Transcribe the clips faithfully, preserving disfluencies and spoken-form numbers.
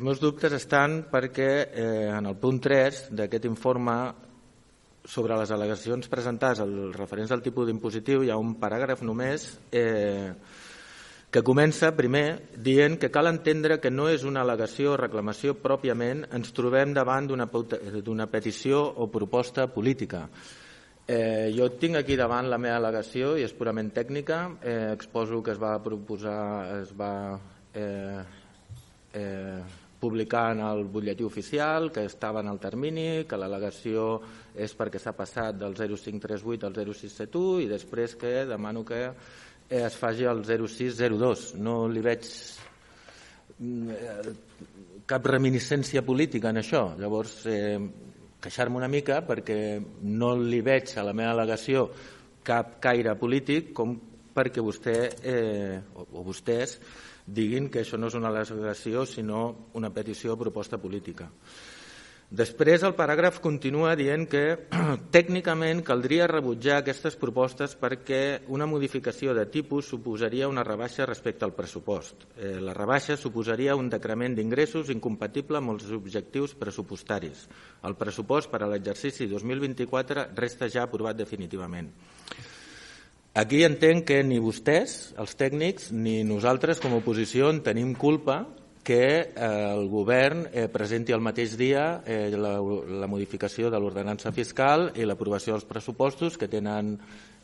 Els meus dubtes estan perquè eh, en el punt tres d'aquest informe sobre les al·legacions presentades als referents al tipus d'impositiu hi ha un paràgraf només eh, que comença primer dient que cal entendre que no és una al·legació o reclamació pròpiament, ens trobem davant d'una petició o proposta política. Eh, jo tinc aquí davant la meva al·legació i és purament tècnica, eh, exposo que es va proposar, es va eh, eh, publicar en el butlletí oficial, que estava en el termini, que l'al·legació és perquè s'ha passat del zero cinc trenta vuit al zero sis setanta u i després que demano que eh, es faci el zero sis zero dos. No li veig eh, cap reminiscència política en això. Llavors, eh, queixar-me una mica perquè no li veig a la meva al·legació cap caire polític com perquè vostè eh, o, o vostès diguin que això no és una al·legació sinó una petició o proposta política. Després el paràgraf continua dient que tècnicament caldria rebutjar aquestes propostes perquè una modificació de tipus suposaria una rebaixa respecte al pressupost. Eh, la rebaixa suposaria un decrement d'ingressos incompatible amb els objectius pressupostaris. El pressupost per a l'exercici dos mil vint-i-quatre resta ja aprovat definitivament. Aquí entenc que ni vostès, els tècnics, ni nosaltres com a oposició en tenim culpa que el govern presenti el mateix dia la, la modificació de l'ordenança fiscal i l'aprovació dels pressupostos que tenen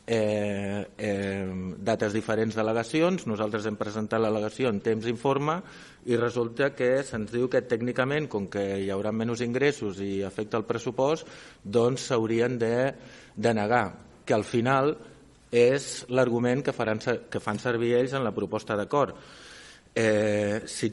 eh, eh, dates diferents d'al·legacions. Nosaltres hem presentat l'al·legació en temps informe i resulta que se'ns diu que tècnicament, com que hi haurà menys ingressos i afecta el pressupost, doncs s'haurien de, de negar, que al final és l'argument que, faran, que fan servir ells en la proposta d'acord. Eh, si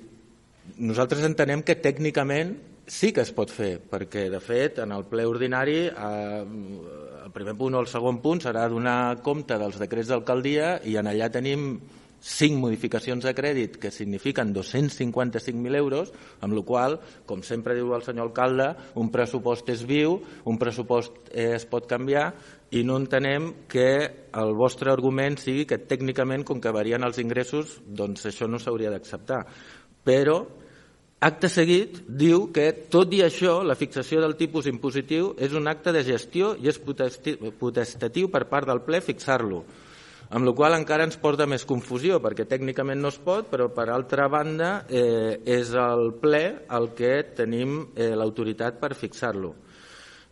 Nosaltres entenem que tècnicament sí que es pot fer, perquè de fet en el ple ordinari eh, el primer punt o el segon punt serà donar compte dels decrets d'alcaldia i en allà tenim cinc modificacions de crèdit que signifiquen dos-cents cinquanta-cinc mil euros, amb la qual cosa, com sempre diu el senyor alcalde, un pressupost és viu, un pressupost eh, es pot canviar i no entenem que el vostre argument sigui que tècnicament, com que varien els ingressos, doncs això no s'hauria d'acceptar. Però, acte seguit, diu que, tot i això, la fixació del tipus impositiu és un acte de gestió i és potestatiu per part del ple fixar-lo, amb la qual cosa encara ens porta més confusió, perquè tècnicament no es pot, però per altra banda eh, és el ple el que tenim eh, l'autoritat per fixar-lo.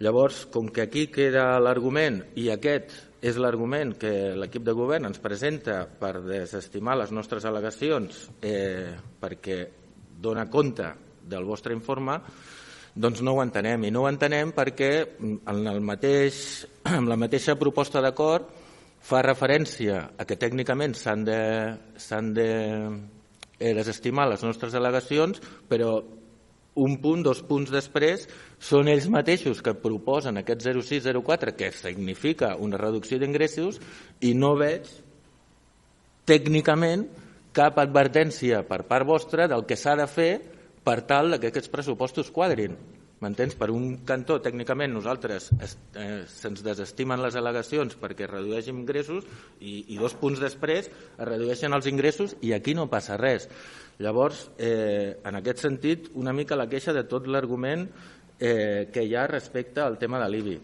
Llavors, com que aquí queda l'argument i aquest és l'argument que l'equip de govern ens presenta per desestimar les nostres al·legacions eh, perquè dona compte del vostre informe, doncs no ho entenem. I no ho entenem perquè en, el mateix, en la mateixa proposta d'acord fa referència a que tècnicament s'han de, s'han de eh, desestimar les nostres al·legacions, però un punt, dos punts després, són ells mateixos que proposen aquest zero sis zero quatre, que significa una reducció d'ingressos, i no veig tècnicament cap advertència per part vostra del que s'ha de fer per tal que aquests pressupostos quadrin. M'entens? Per un cantó, tècnicament, nosaltres eh, se'ns desestimen les al·legacions perquè redueixin ingressos i, i dos punts després es redueixen els ingressos i aquí no passa res. Llavors, eh, en aquest sentit, una mica la queixa de tot l'argument eh, que hi ha respecte al tema de l'I B I.